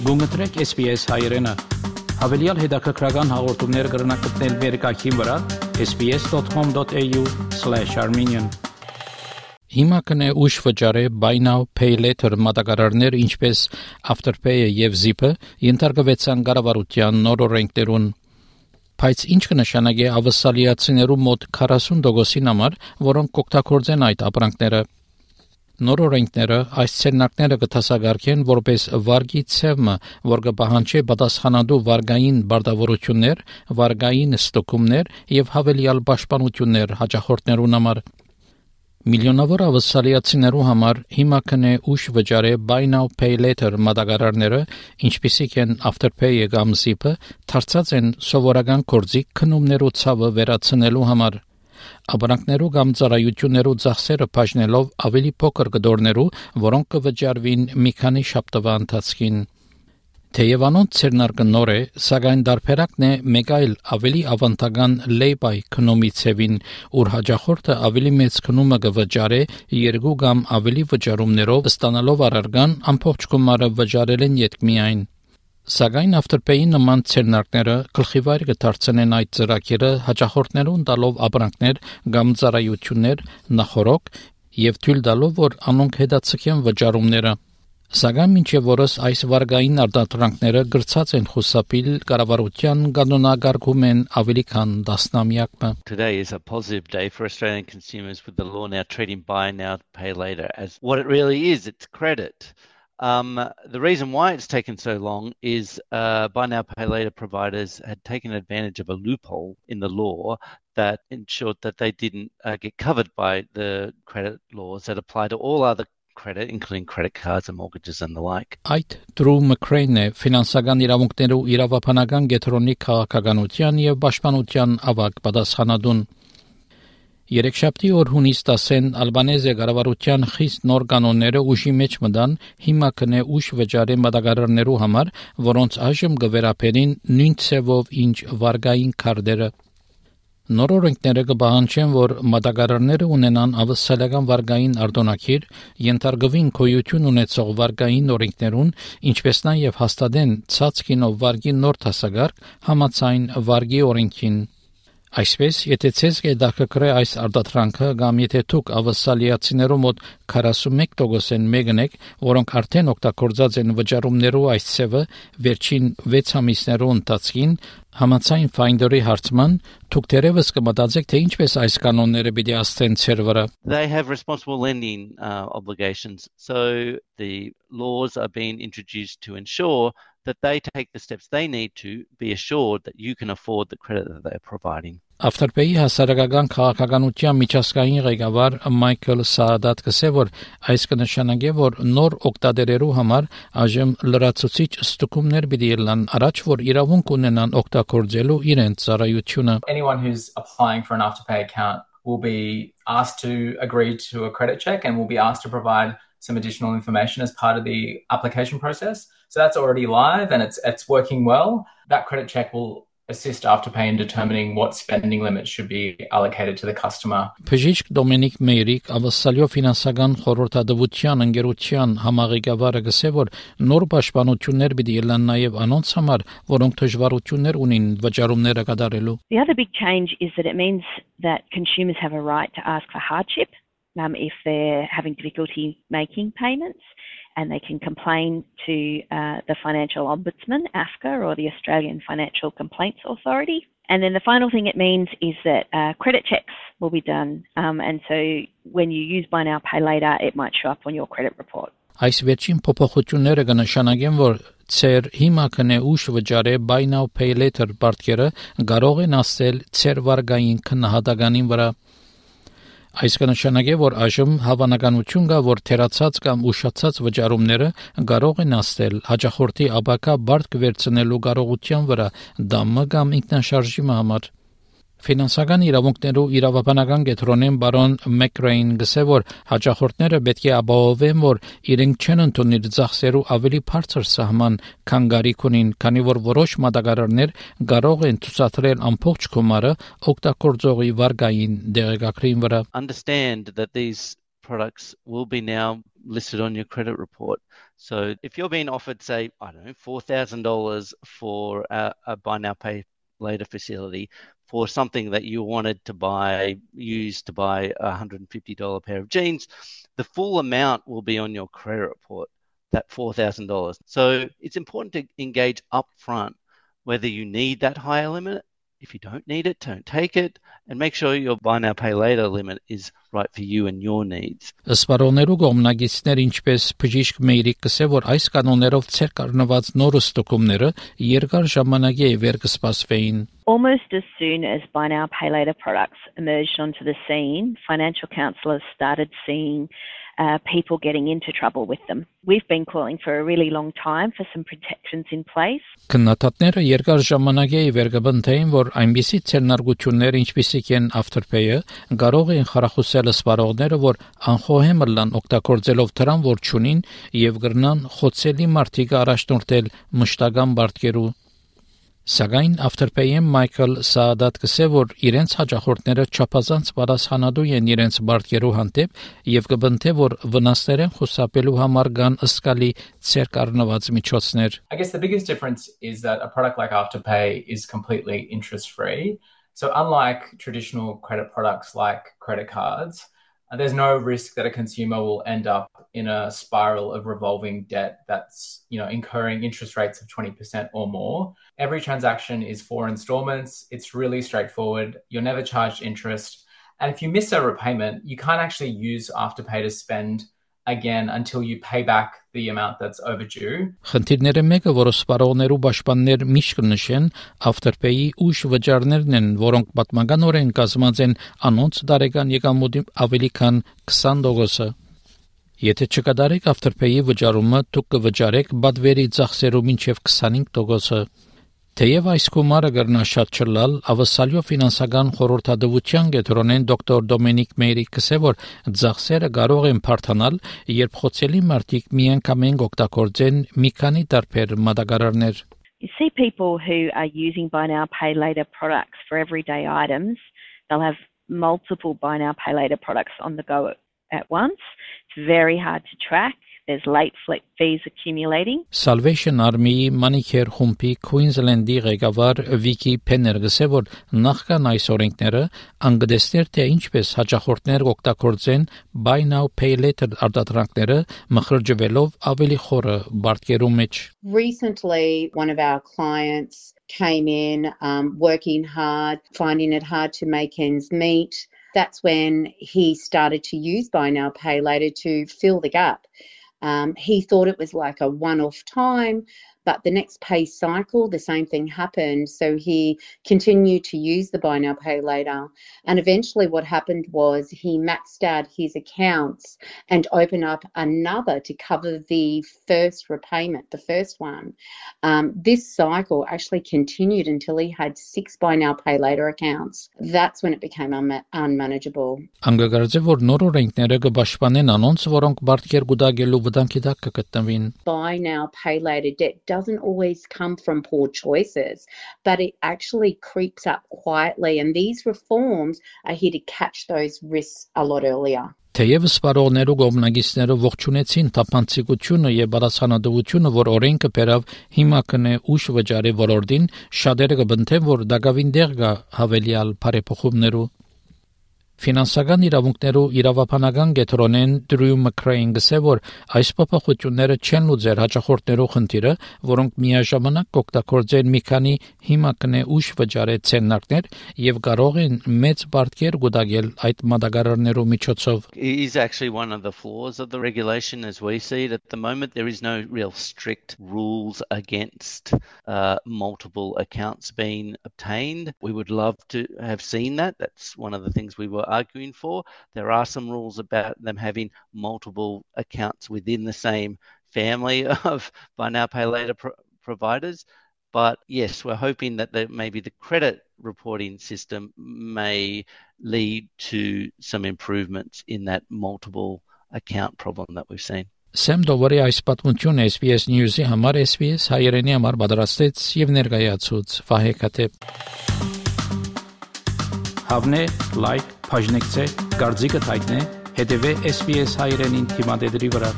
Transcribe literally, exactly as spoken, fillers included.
Գումտրեք S B S հայերենը։ Հավելյալ հետաքրքրական հաղորդումներ կգրնակցնել վերկայքին վրա s b s dot com dot a u slash armenian Հիմա կնե ուշ վճարե buy now pay later մատակարարներ ինչպես Afterpay-ը եւ Zip-ը ենթարկվեցան կառավարության նոր օրենքներուն։ Բայց ինչ կնշանակի ավասալիացիներու մոտ քառասուն տոկոսին համար, որոնք կօգտագործեն այդ ապրանքները։ Նոր օրենքները այս ցերնակները կտասագարկեն որպես վարգի ցևը, որ կպահանջի պատասխանատու վարգային բարդավորություններ, վարգային ստուգումներ եւ հավելյալ պաշտպանություններ հաճախորդներուն համար։ Միլիոնավոր ավասալիացիներու համար հիմա կնե ուշ վճարե buy now pay later մատակարարները, ինչպիսիք են Afterpay-ը կամ Zip-ը, դարձած են սովորական կորձի քնումներու ցավը վերացնելու համար։ Ապրանքներու կամ ծառայություններու ծախսերը բաժնելով ավելի փոքր գդորներու, որոնք կվճարվին մի քանի շաբաթվա ընթացքին։ Թեև անոնց ցերնարկը նոր է, սակայն դարբերակն է մեկ այլ ավելի ավանդական lay-by քնումի ցևին, ուր հաճախորդը ավելի մեծ քնումը կվճարե երկու կամ ավելի վճարումներով, ստանալով առարգան ամբողջ գումարը վճարել են յետքմիայն։ Սակայն Afterpay-ի նման ցերնակները գլխիվայր կդարձնեն այդ ծրագիրը հաճախորդներուն տալով ապրանքներ կամ ծառայություններ նախորոք եւ թույլ տալով, որ անոնք հետաձգեն վճարումները։ Սակայն մինչև որս այս վարգային արտադրանքները գրծած են խուսափիլ կառավարության կանոնակարգում են ավելի քան տասնամյակ։ Today is a positive day for Australian consumers with the law now treating buy now pay later as what it really is, it's credit. Um, the reason why it's taken so long is uh, buy now pay later providers had taken advantage of a loophole in the law that ensured that they didn't uh, get covered by the credit laws that apply to all other credit, including credit cards and mortgages and the like. Այդ Drew McCrane-ը ֆինանսական իրավունքներու իրավաբանական գետրոնի քաղաքականության եւ պաշտպանության ավագ պատասխանատուն։ Երեքշաբթի օր հունիս տասին Ալբանեզիա կառավարության խիստ նոր կանոնները ուժի մեջ մտան հիմա կնե ուժ վճարի մատակարարներու համար, որոնց այժմ կվերապերին նույն ցևով ինչ վարգային քարտերը։ Նոր օրենքները կպահանջեն, որ մատակարարները ունենան ավասալական վարգային արտոնակիր, ենթարկվին գոյություն ունեցող վարգային օրենքներուն, ինչպես նաև հաստատեն ցածքինով վարգի նոր դասակարգ համաձայն վարգի օրենքին։ Այսպես, եթե ցեզ կդակրե այս արտադրանքը կամ եթե դուք ավասալիացիներու մոտ քառասունմեկ տոկոս են մեկնեք, որոնք արդեն օգտագործած են վճարումներու այս ցևը վերջին վեց ամիսներու ընթացքին, համաձայն Finder-ի հարցման, դուք դեռևս կմտածեք, թե ինչպես այս կանոնները պիտի աստեն ցեր վրա։ They have responsible lending uh, obligations, so the laws are being introduced to ensure that they take the steps they need to be assured that you can afford the credit that they're providing. Afterpay-ի հասարակական քաղաքականության միջազգային ղեկավար Michael Saadad կսե, որ այս կնշանակի, որ նոր օգտատերերու համար այժմ լրացուցիչ ստուգումներ պիտի լինեն, առաջ որ իրավունք ունենան օգտագործելու իրենց ծառայությունը։ Anyone who's applying for an Afterpay account will be asked to agree to a credit check and will be asked to provide some additional information as part of the application process. So that's already live and it's it's working well. That credit check will assist Afterpay in determining what spending limits should be allocated to the customer. Բժիշկ Դոմինիկ Մեյրիկ ավասալյո ֆինանսական խորհրդատվության ընկերության համաղեկավարը գսե, որ նոր պաշտպանություններ պիտի լինեն նաև անոնց համար, որոնք դժվարություններ ունին վճարումները կատարելու։ The other big change is that it means that consumers have a right to ask for hardship um, if they're having difficulty making payments. And they can complain to uh, the Financial Ombudsman, A F C A, or the Australian Financial Complaints Authority. And then the final thing it means is that uh, credit checks will be done. Um, and so when you use Buy Now Pay Later, it might show up on your credit report. Այս վերջին փոփոխությունները կնշանակեն, որ ցեր հիմա կնե ուշ վճարե Buy Now Pay Later բարդկերը կարող են ասել ցեր վարգային քննադատականին վրա։ Այս կնշանակի, որ այժմ հավանականություն կա, որ թերացած կամ ուշացած վճարումները կարող են ասել հաճախորդի ապակա բարդ կվերցնելու կարողության վրա դամը կամ ինքնաշարժի համար։ Ֆինանսական իրավունքներու իրավաբանական կետրոնեն բարոն Մակրեյն գսե, որ հաճախորդները պետք է ապահովեն, որ իրենք չեն ընդունիր ծախսերու ավելի բարձր սահման, քան գարիք ունին, քանի որ որոշ մատակարարներ կարող են ցուցադրել ամբողջ գումարը օգտագործողի վարկային դեղեկագրին վրա։ Understand that these products will be now listed on your credit report. So if you're being offered, say, I don't know, four thousand dollars for a, a buy now, pay later facility for something that you wanted to buy, use to buy a one hundred fifty dollars pair of jeans, the full amount will be on your credit report, that four thousand dollars. So it's important to engage upfront whether you need that higher limit. If you don't need it, don't take it, and make sure your buy now, pay later limit is right for you and your needs. Սպառողներու կողմնակիցներ ինչպես բժիշկ Մեյրիկ կսե որ այս կանոններով ցեր կառնված նոր ստուգումները երկար ժամանակի է վեր կսպասվեին. Almost as soon as buy now, pay later products emerged onto the scene, financial counsellors started seeing uh, people getting into trouble with them. We've been calling for a really long time for some protections in place. Քննադատները երկար ժամանակ է վեր կբնթեին, որ այնպիսի ցերնարգություններ, ինչպիսիք են afterpay-ը, կարող են խրախուսել սպառողները, որ անխոհեմ լան օգտագործելով դրան, որ ճունին եւ գրնան խոցելի մարտիկ առաջնորդել մշտական բարդկերու. Սակայն afterpay-ը Մայքլ Սաադատ կսե որ իրենց հաջախորդները չափազանց պատասխանատու են իրենց բարդկերու հանդեպ եւ կբնթե որ վնասներեն խուսափելու համար կան ըսկալի ցերկառնված միջոցներ. I guess the biggest difference is that a product like Afterpay is completely interest free. So unlike traditional credit products like credit cards, there's no risk that a consumer will end up in a spiral of revolving debt that's, you know, incurring interest rates of twenty percent or more. Every transaction is four installments. It's really straightforward. You're never charged interest. And if you miss a repayment, you can't actually use Afterpay to spend again until you pay back the amount that's overdue. Խնդիրները մեկը, որ սպառողներու պաշտպաններ միշտ կնշեն, Afterpay-ի ուշ վճարներն են, որոնք պատմականորեն կազմած են անոնց տարեկան եկամուտի ավելի քան twenty տոկոսը. Եթե չկատարեք Afterpay-ի վճարումը, դուք կվճարեք բադվերի ծախսերու մինչև twenty-five տոկոսը. Թեև այս գումարը կրնա շատ չլալ, ավսալյո ֆինանսական խորհրդատվության գետրոնեն դոկտոր Դոմինիկ Մեյրիկ կսե որ ծախսերը կարող են բարթանալ, երբ խոցելի մարդիկ միանգամայն օգտագործեն մի քանի տարբեր մատակարարներ. You see people who are using buy now, pay later products for everyday items. They'll have multiple buy now, pay later products on the go at once. It's very hard to track. There's late fees accumulating. Salvation Army-ի Manicare խումբի Queensland-ի ղեկավար Վիկի Փեներ գսե որ նախքան այս օրենքները անգդեստեր թե ինչպես հաճախորդներ օգտագործեն buy now pay later արտադրանքները մխրճվելով ավելի խորը բարդկերու մեջ. Recently, one of our clients came in um, working hard, finding it hard to make ends meet. That's when he started to use buy now pay later to fill the gap. Um, he thought it was like a one-off time, but the next pay cycle, the same thing happened. So he continued to use the buy now, pay later. And eventually what happened was he maxed out his accounts and opened up another to cover the first repayment, the first one. Um, this cycle actually continued until he had six buy now, pay later accounts. That's when it became un- unmanageable. Անգագարձե որ նոր օրենքները կպաշտպանեն անոնց, որոնք բարդկեր գուտագելու վտանգի տակ կգտնվին. Buy now, pay later debt doesn't always come from poor choices, but it actually creeps up quietly, and these reforms are here to catch those risks a lot earlier. Թեև սպառողներու կողմնակիցները ողջունեցին թափանցիկությունը եւ բարձրանալությունը, որ օրենքը բերավ հիմա կնե ուշ վճարի ոլորտին, շատերը կբնթեն, որ դակավին դեղ կա հավելյալ բարեփոխումներու. Ֆինանսական իրավունքներու իրավաբանական գետրոնեն Դրյու Մակրեյն գսե որ այս փոփոխությունները չեն լուծեր հաճախորդներու խնդիրը, որոնք միաժամանակ կօգտագործեն մի քանի հիմա կնե ուշ վճարե ցեննարկներ եւ կարող են մեծ բարդկեր գուտագել այդ մատակարարներու միջոցով. It is actually one of the flaws of the regulation as we see it at the moment. There is no real strict rules against uh, multiple accounts being obtained. We would love to have seen that. That's one of the things we were arguing for. There are some rules about them having multiple accounts within the same family of buy now, pay later pro- providers. But yes, we're hoping that the, maybe the credit reporting system may lead to some improvements in that multiple account problem that we've seen. Սեմ Դովարի այս պատմությունը S B S News-ի համար S B S հայերենի համար պատրաստեց եւ ներկայացուց Վահե Քաթեփ. Հավնե, լայք, բաժնեկցե, դարձիկը թայտնե, հետեւե S B S հայերենին թիմադեդի վրա.